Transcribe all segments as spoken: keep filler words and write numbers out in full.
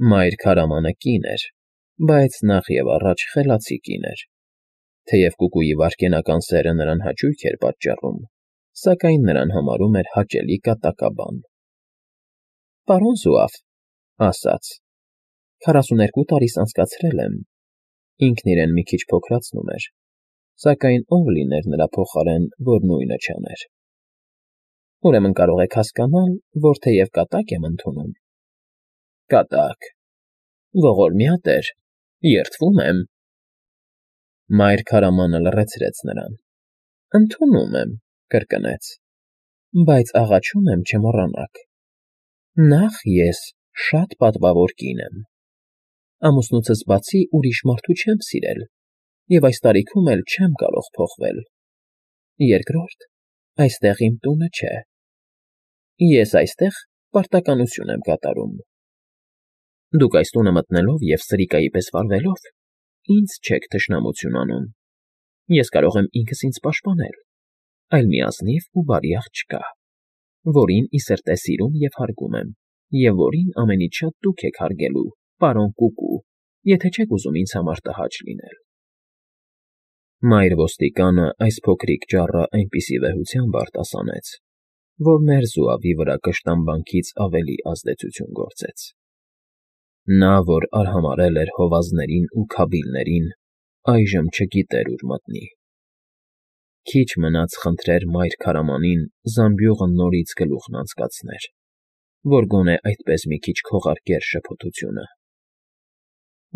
Մայր քարամանը կին էր, բայց նախևառաջ խելացի կին էր, թեև կուկուի վայրկենական սերը նրան հաճույք էր պատճառում, սակայն նրան համարում էր հաճելի կատակաբան։ ֊ Պարոն Զուավ,֊ ասաց,֊ քառասուներկու տարիս անցկացրել եմ… Ինքն իրեն մի քիչ փոքրացնում էր, սակայն ով լիներ նրա փոխարեն, որ նույնը չաներ… Ուրեմն կարող եք հասկանալ, որ թեև կատակ եմ ընդունում… ֊ Կատակ… Ողորմյա տեր… երդվում եմ… Մայր քարամանը լռեցրեց նրան։ ֊ Ընդունում եմ,֊ կրկնեց,֊ բայց աղաչում եմ չմոռանաք. նախ ես շատ պատվավոր կին եմ… Ամուսնուցս բացի ուրիշ մարդու չեմ սիրել և այս տարիքում էլ չեմ կարող փոխվել… Երկրորդ, այստեղ իմ տունը չէ… Ես այստեղ պարտականություն եմ կատարում… Դուք այս տունը մտնելով և սրիկայի պես վարվելով ինձ չեք թշնամություն անում… Ես կարող եմ ինքս ինձ պաշտպանել, այլ մի ազնիվ ու բարի աղջկա, որին ի սրտե սիրում և հարգում եմ և որին ամենից շատ դուք եք հարգելու, պարոն Կուկու, եթե չեք ուզում ինձ համար տհաճ լինել… Մայր ոստիկանը այս փոքրիկ ճառը այնպիսի վեհությամբ արտասանեց, որ մեր զուավի վրա կշտամբանքից ավելի ազդեցություն գործեց… Նա, որ արհամարհել էր հովազներին ու քաբիլներին, այժմ չգիտեր ուր մտնի… Քիչ մնաց խնդրեր մայր քարամանին զամբյուղը նորից գլուխն անցկացներ, որ գոնե այդպես մի քիչ քողարկեր շփոթությունը…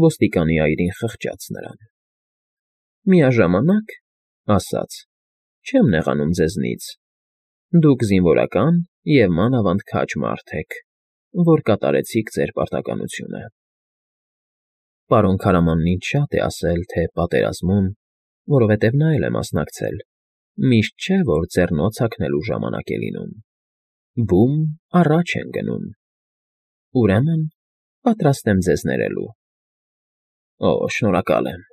Ոստիկանի այրին խղճաց նրան։ ֊ Միաժամանակ,֊ ասաց,֊ չեմ նեղանում ձեզնից… Դուք զինվորական և մանավանդ քաջ մարդ եք, որ կատարեցիք ձեր պարտականությունը… Պարոն քարամանն ինձ շատ է ասել, թե պատերազմում, որովհետև նա էլ է մասնակցել, միշտ չէ, որ ձեռնոց հագնելու ժամանակ է լինում… Բում առաջ են գնում… Ուրեմն պատրաստ եմ ձեզ ներելու… ֊ Օ, շնորհակալ եմ,֊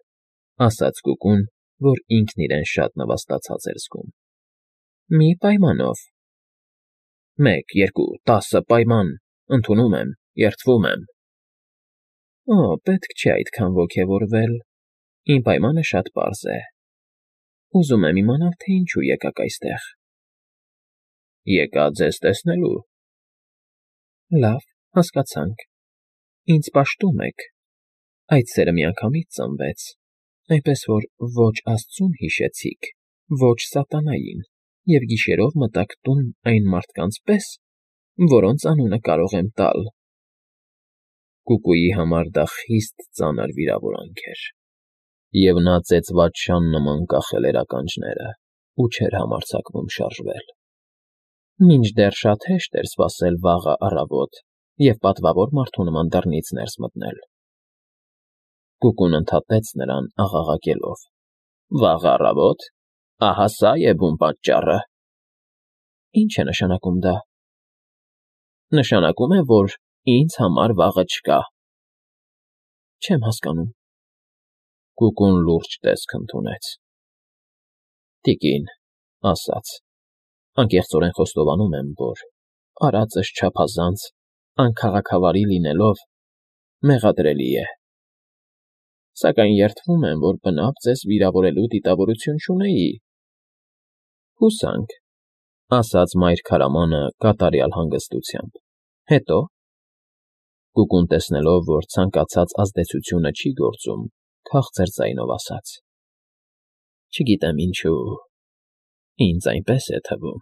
ասաց կուկուն, որ ինքն իրեն շատ նվաստացած էր զգում։ ֊ Մի պայմանով… ֊ Մեկ, երկու, տասը պայման… Ընդունում եմ, երդվում եմ… ֊ Օ, պետք չէ այդքան ոգևորվել… Իմ պայմանը շատ պարզ է… Ուզում եմ իմանալ, թե ինչու եկաք այստեղ… ֊ Եկա ձեզ տեսնելու… ֊ Լավ, հասկացանք… Ինձ պաշտում եք… Այդ սերը միանգամից ծնվեց, այնպես որ ոչ աստծուն հիշեցիք, ոչ սատանային և գիշերով մտաք տուն այն մարդկանց պես, որոնց անունը կարող եմ տալ… Կուկուի համար դա խիստ ծանր վիրավորանք էր, և նա ծեծված շան նման կախել էր ականջները ու չէր համարձակվում շարժվել… Մինչդեռ շատ հեշտ էր սպասել վաղը առավոտ և պատվավոր մարդու նման դռնից ներս մտնել… Կուկուն ընդհատեց նրան աղաղակելով. ֊ Վաղը առավո՞տ… Ահա սա է բուն պատճառը… ֊ Ի՞նչ է նշանակում դա… ֊ Նշանակում է, որ ինձ համար վաղը չկա… ֊ Չեմ հասկանում… Կուկուն լուրջ տեսք ընդունեց։ ֊ Տիկին,֊ ասաց,֊ անկեղծորեն խոստովանում եմ, որ, արածս չափազանց, անքաղաքավարի լինելով, մեղադրելի է… Սակայն երդվում եմ, որ բնավ ձեզ վիրավորելու դիտավորություն չունեի… ֊ Հուսանք,֊ ասաց մայր քարամանը կատարյալ հանգստությամբ,֊ հետո՞… Կուկուն տեսնելով, որ ցանկացած ազդեցությունը չի գործում, քաղցր ձայնով ասաց. ֊ Չգիտեմ ինչու… Ինձ այնպես է թվում,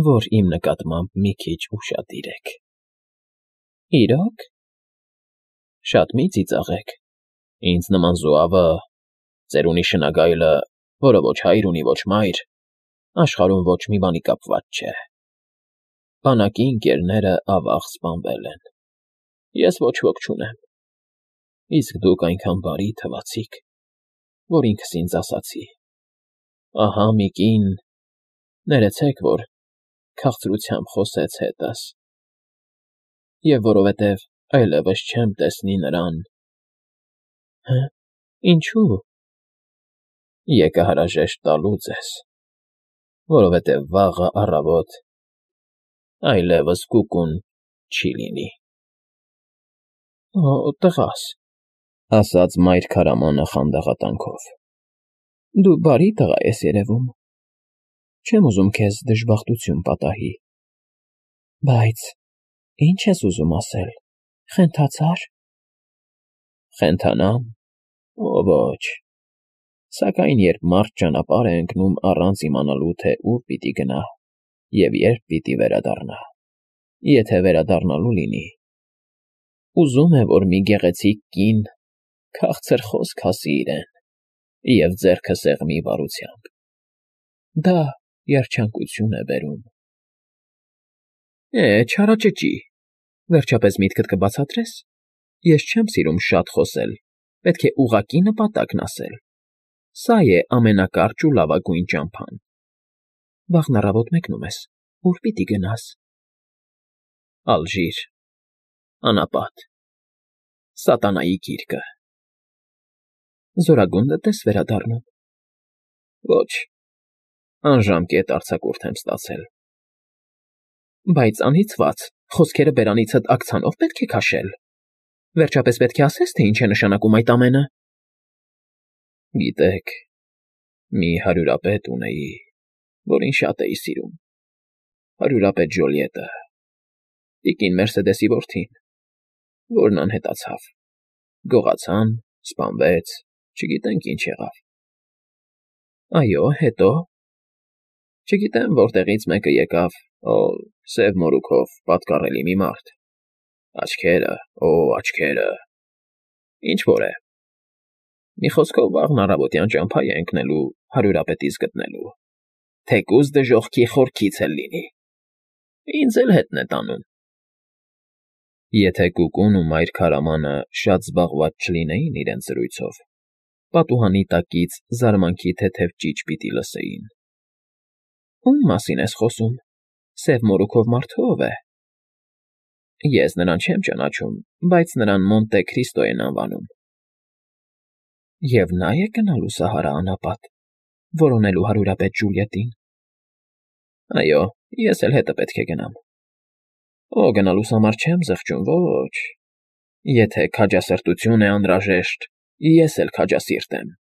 որ իմ նկատմամբ մի քիչ ուշադիր եք… ֊ Իրո՞ք… Շատ մի ծիծաղեք… Ինձ նման զուավը, ծերունի շնագայլը, որը ոչ հայր ունի, ոչ մայր, աշխարհում ոչ մի բանի կապված չէ… Բանակի ընկերները ավաղ սպանվել են… Ես ոչ ոք չունեմ… Իսկ դուք այնքան բարի թվացիք, որ ինքս ինձ ասացի. ահա մի կին… Ներեցեք, որ քաղցրությամբ խոսեց հետս… Եվ որովհետև այլևս չեմ տեսնի նրան… Հը՞, ինչո՞ւ… Եկա հարաժեշտ տալու ձեզ, որովհետև վաղը առավոտ այլևս կուկուն չի լինի… Օ, տղաս, ասաց մայր քարամանը խանդաղատանքով։ Դու բարի տղա ես երևում։ Չեմ ուզում քեզ դժբախտություն պատահի։ Բայց ի՞նչ ես ուզում ասել, խենթացա՞ր։ Խենթանամ։ Ո ոչ։ Սակայն երբ մարդ ճանապարհ է ընկնում առանց իմանալու, թե ուր պիտի գնա և երբ պիտի վերադառնա, եթե վերադառնալու լինի, ուզում է, որ մի գեղեցիկ կին քաղցր խոսք ասի իրեն և ձեռքը սեղմի վարությամբ։ Դա երջանկություն է բերում։ Է, չարաճճի, վերջապես միտքդ կբացատրես։ Ես չեմ սիրում շատ խոսել, պետք է ուղղակի նպատակն ասել։ Սա է ամենակարճ ու լավագույն ճամփան։ Վաղն առավոտ մեկնում ես, ուր պիտի գնաս։ Ալժիր, անապատ, սատանայի գիրկը։ Զորագունդդ ես վերադառնում։ Ոչ, անժամկետ արձակուրդ եմ ստացել։ Բայց անիծված, խոսքերը բերանիցդ աքցանով պետք է քաշել։ Վերջապես պետք է ասես, թե ինչ է նշանակում այդ ամենը։ Գիտեք, մի հարյուրապետ ունեի, որին շատ էի սիրում, հարյուրապետ Ջոլիետը, տիկին Մերսեդեսի որդին, որն անհետացավ, գողացան, սպանվեց, չգիտենք ինչ եղավ։ Այո, հետո։ Չգիտեմ որտեղից մեկը եկավ, օ, սև մորուքով, պատկառելի մի մարդ, աչքերը, օ, աչքերը, ինչ֊որ է։ Մի խոսքով վաղն առավոտյան ճամփա է ընկնելու հարյուրապետիս գտնելու, թեկուզ դժոխքի խորքից էլ լինի։ Ինձ էլ հետն է տանում։ Եթե Կուկուն ու մայր քարամանը շատ զբաղված չլինեին իրենց զրույցով, պատուհանի տակից զարմանքի թեթև ճիչ պիտի լսեին։ Ո՞ւմ մասին ես խոսում, սև մորուքով մարդը ո՞վ է։ Ես նրան չեմ ճանաչում, բայց նրան Մոնտե Քրիստո են անվանում։ Եվ նա է գնալու Սահարա անապատ, որոնելու հարյուրապետ Ջուլիետին։ Այո, ես էլ հետը պետք է գնամ։ Օ, գնալուս համար չեմ զղջում, ոչ։ Եթե քաջասրտություն է անհրաժեշտ, ես էլ քաջասիրտ եմ։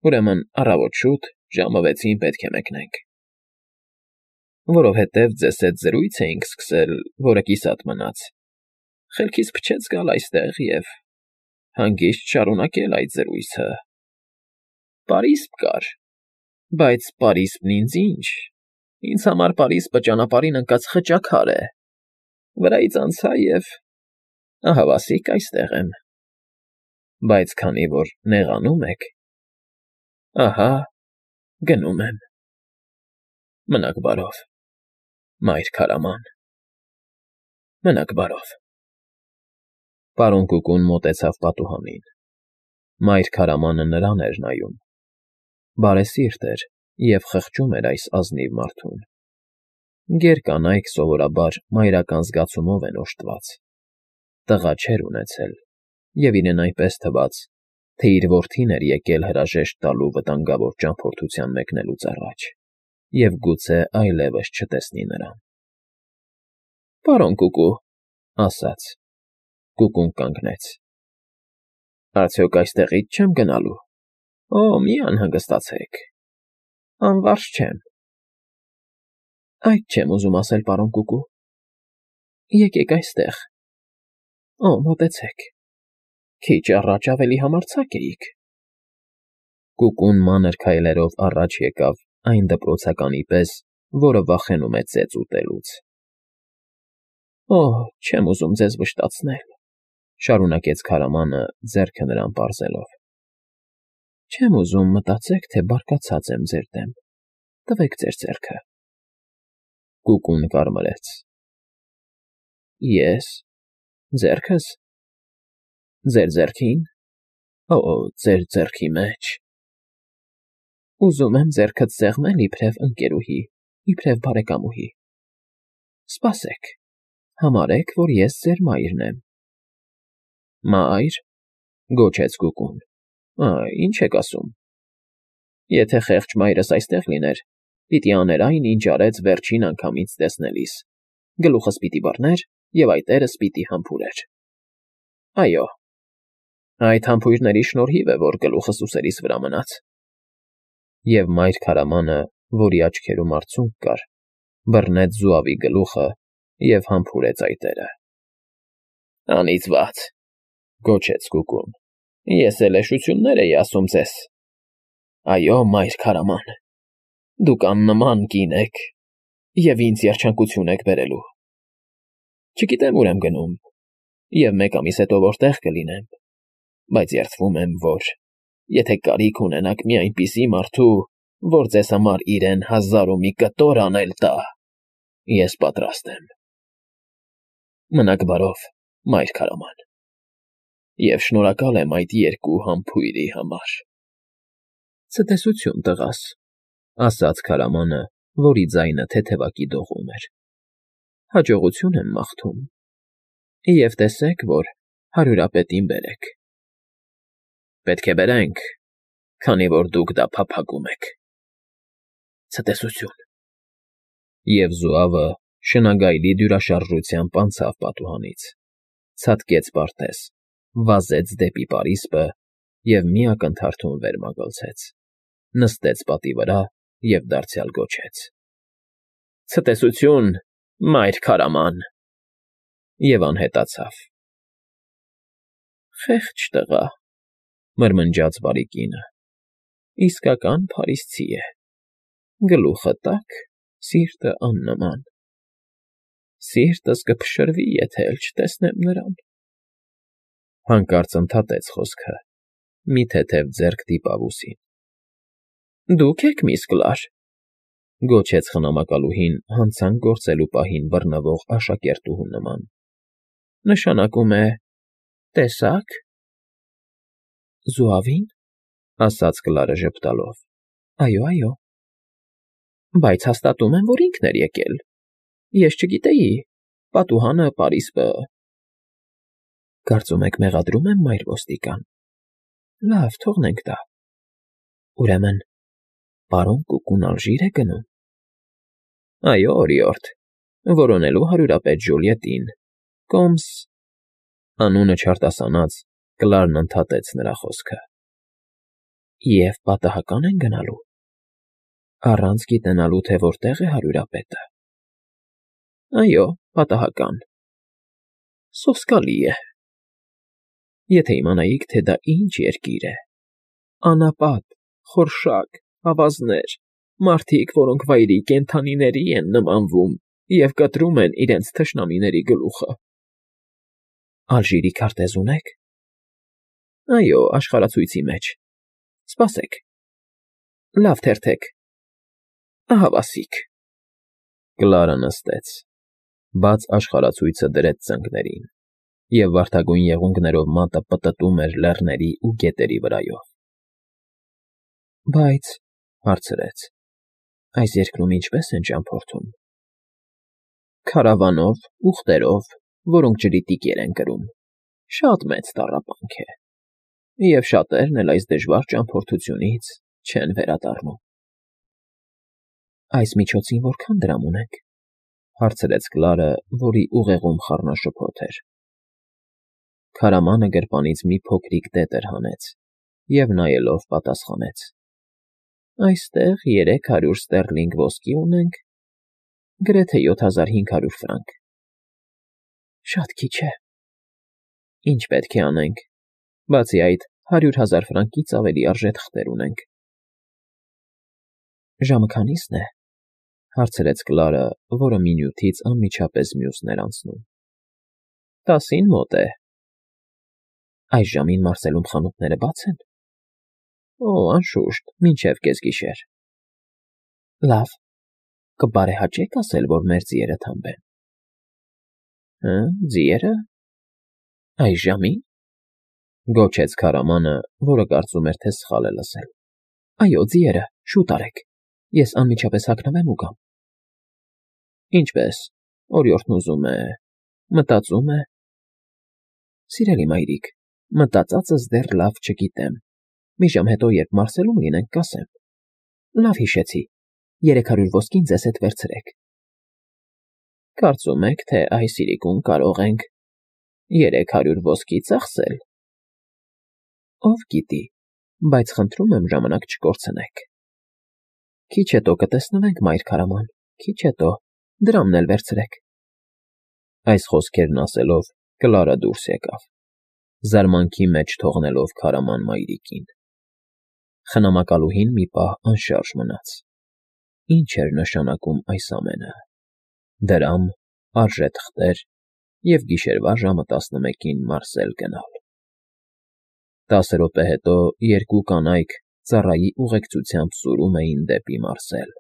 Ուրեմն առավոտ շուտ, ժամը վեցին պետք է մեկնենք։ Որովհետև ձեզ հետ զրույց էինք սկսել, որը կիսատ մնաց։ Խելքից փչեց գալ այստեղ և հանգիստ շարունակել այդ զրույցը։ Պարիսպ կար, բայց պարիսպն ինձ ինչ, ինձ համար պարիսպը ճանապարհին ընկած խճաքար է։ Վրայից անցա և ահավասիկ այստեղ եմ։ Բայց քանի որ նեղանում եք, ահա, գնում եմ։ Մնաք բարով, մայր քարաման, մնաք բարով։ Պարոն Կուկուն մոտեցավ պատուհանին։ Մայր քարամանը նրան էր նայում։ Բարեսիրտ էր և խղճում էր այս ազնիվ մարդուն։ Գեր կանայք սովորաբար մայրական զգացումով են օժտված։ Տղա չէր ունեցել, և իրեն այնպես թվաց, թե իր որդին էր եկել հրաժեշտ տալու վտանգավոր ճամփորդության մեկնելուց առաջ, և գուցե այլևս չտեսնի նրան։ Պարոն Կուկու, ասաց։ Կուկուն կանգնեց։ Արդյոք այստեղից չեմ գնալու։ Օ, մի անհանգստացեք։ Անվարձ չեմ։ Այդ չեմ ուզում ասել, պարոն Կուկու։ Եկեք այստեղ։ Օ, մոտեցեք։ Քիչ առաջ ավելի համարձակ էիք։ Կուկուն մանր քայլերով առաջ եկավ այն դպրոցականի պես, որը վախենում է ծեծ ուտելուց։ Օ, չեմ ուզում ձեզ վշտացնել, շարունակեց քարամանը ձեռքը նրան պարզելով։ Չեմ ուզում մտածեք, թե բարկացած եմ ձեր դեմ, տվեք ձեր ձեռքը։ Կուկուն կարմրեց։ Ես, ձեռքս, ձեր ձեռքին, օ, ձեր ձեռքի մեջ։ Ուզում եմ ձեռքդ սեղմել իբրև ընկերուհի, իբրև բարեկամուհի։ Սպասեք, համարեք, որ ես ձեր մայրն եմ։ Մայր, գոչեց Կուկուն, այ, ինչ եք ասում։ Եթե խեղճ մայրս այստեղ լիներ, պիտի աներ այն, ինչ արեց վերջին անգամից տեսնելիս, գլուխս պիտի բռներ և այտերս պիտի համբուրեր։ Այո, այդ համբույրների շնորհիվ է, որ գլուխս ուսերիս վրա մնաց։ Եվ մայր քարամանը, որի աչքերում արցունք կար, բռնեց զուավի գլուխը և համբուրեց այտերը։ Անիծված, գոչեց Կուկուն, ես էլ էշություններ էի ասում ձեզ։ Այո, մայր քարաման, դուք աննման կին եք և ինձ երջանկություն եք բերելու։ Չգիտեմ ուր եմ գնում և մեկ ամիս հետո որտեղ կլինեմ, բայց երդվում եմ, որ եթե կարիք ունենաք մի այնպիսի մարդու, որ ձեզ համար իրեն հազար ու մի կտոր անել տա, ես պատրաստ եմ։ Մնաք բարով, մայր քարաման, և շնորհակալ եմ այդ երկու համբույրի համար։ Ցտեսություն, տղաս, ասաց քարամանը, որի ձայնը թեթևակի դողում էր։ Հաջողություն եմ մաղթում, և տեսեք, որ հարյուրապետին բերեք։ Պետք է բերենք, քանի որ դուք դա փափագում եք։ Ցտեսություն։ Եվ զուավը շնագայլի դյուրաշարժությամբ անցավ պատուհանից, ցատկեց պարտեզ, վազեց դեպի պարիսպը և մի ակնթարթում վեր մագլցեց, նստեց պատի վրա և դարձյալ գոչեց. Ցտեսություն, մայր քարաման, և անհետացավ։ Խեղճ տղա, մրմնջաց բարի կինը, իսկական փարիսցի է, գլուխը տաք, սիրտը աննման։ Սիրտս կփշրվի, եթե էլ չտեսնեմ նրան։ Հանկարծ ընդհատեց խոսքը, մի թեթև ձեռք դիպավ ուսին։ Դուք եք միս Կլար, գոչեց խնամակալուհին հանցանք գործելու պահին բռնվող աշակերտուհու նման։ Նշանակում է, տեսա՞ք։ Զուավի՞ն, ասաց Կլարը ժպտալով։ Այո, այո։ Բայց հաստատում եմ, որ ինքն էր եկել։ Ես չգիտեի, պատուհանը, պարիսպը… Կարծում եք մեղադրում եմ, մայր ոստիկան։ Լավ, թողնենք դա։ Ուրեմն, պարոն Կուկուն ալժիր է գնում։ Այո, օրիորդ, որոնելու հարյուրապետ Ժուլիետին, կոմս… Անունը չարտասանած, Կլարն ընդհատեց նրա խոսքը։ Եվ պատահական են գնալու։ Առանց գիտենալու, թե որտեղ է հարյուրապետը։ Այո, պատահական։ Սոսկալի է։ Եթե իմանայիք, թե դա ինչ երկիր է… Անապատ, խորշակ, ավազներ, մարդիկ, որոնք վայրի կենդանիների են նմանվում և կտրում են իրենց թշնամիների գլուխը։ Ալժիրի քարտեզ ունե՞ք։ Այո, աշխարհացույցի մեջ։ Սպասեք… Լավ թերթեք… Ահա վասիկ։ Կլարը նստեց, բաց աշխարհացույցը դրեց ծնկներին, և վարդագույն եղունգներով մատը պտտում էր լեռների ու գետերի վրայով։ Բայց, հարցրեց, այս երկրում ինչպե՞ս են ճամփորդում։ Քարավանով, ուղտերով, որոնք ջրի տիկեր են կրում, շատ մեծ տառապանք է, և շատերն էլ այս դժվար ճամփորդությունից չեն վերադառնում։ Այս միջոցին որքան դրամ ունենք, հարցրեց Կլարը, որի ուղեղում խառնաշփոթ էր։ Քարամանը գրպանից մի փոքրիկ տետր հանեց և նայելով պատասխանեց. Այստեղ երեք հարյուր ստեռլինգ ոսկի ունենք, գրեթե յոթ հազար հինգ հարյուր ֆրանկ։ Շատ քիչ է։ Ինչ պետք է անենք, բացի այդ, հարյուր հազար ֆրանկից ավելի արժե թղթեր ունենք։ Ժամը քանի՞սն է, հարցրեց Կլարը, որը մինյութից անմիջապես մյուսն էր անցնում։ Տասին մոտ է։ Այս ժամին Մարսելում խանութները բաց են։ Օ, անշուշտ, մինչև կեսգիշեր։ Լավ, կբարեհաճե՞ք ասել, որ մեր ձիերը թամբեն։ Հը, ձիերը… Այս ժամի՞ն, գոչեց քարամանը, որը կարծում էր, թե սխալ է լսել։ Այո, ձիերը, շուտ արեք, ես անմիջապես հագնվեմ ու գամ։ Ինչպես, օրիորդն ուզում է… մտածում է… Սիրելի մայրիկ, մտածածս դեռ լավ չգիտեմ, մի ժամ հետո, երբ Մարսելում լինենք, կասեմ։ Լավ հիշեցի, երեք հարյուր ոսկին ձեզ հետ վերցրեք։ Կարծում եք, թե այս իրիկուն կարող ենք… երեք հարյուր ոսկի ծախսել։ Ով գիտի, բայց խնդրում եմ ժամանակ չկորցնեք։ Քիչ հետո կտեսնվենք, մայր քարաման, քիչ հետո, դրամն էլ վերցրեք։ Այս խոսքերն ասելով Կլարը դուրս եկավ, զարմանքի մեջ թողնելով քարաման մայրիկին։ Խնամակալուհին մի պահ անշարժ մնաց. ի՞նչ էր նշանակում այս ամենը՝ դրամ, արժե թղթեր և գիշերվա ժամը տասնմեկին մարսել գնալ։ Տասը րոպե հետո երկու կանայք ծառայի ուղեկցությամբ սուրում էին դեպի մարսել։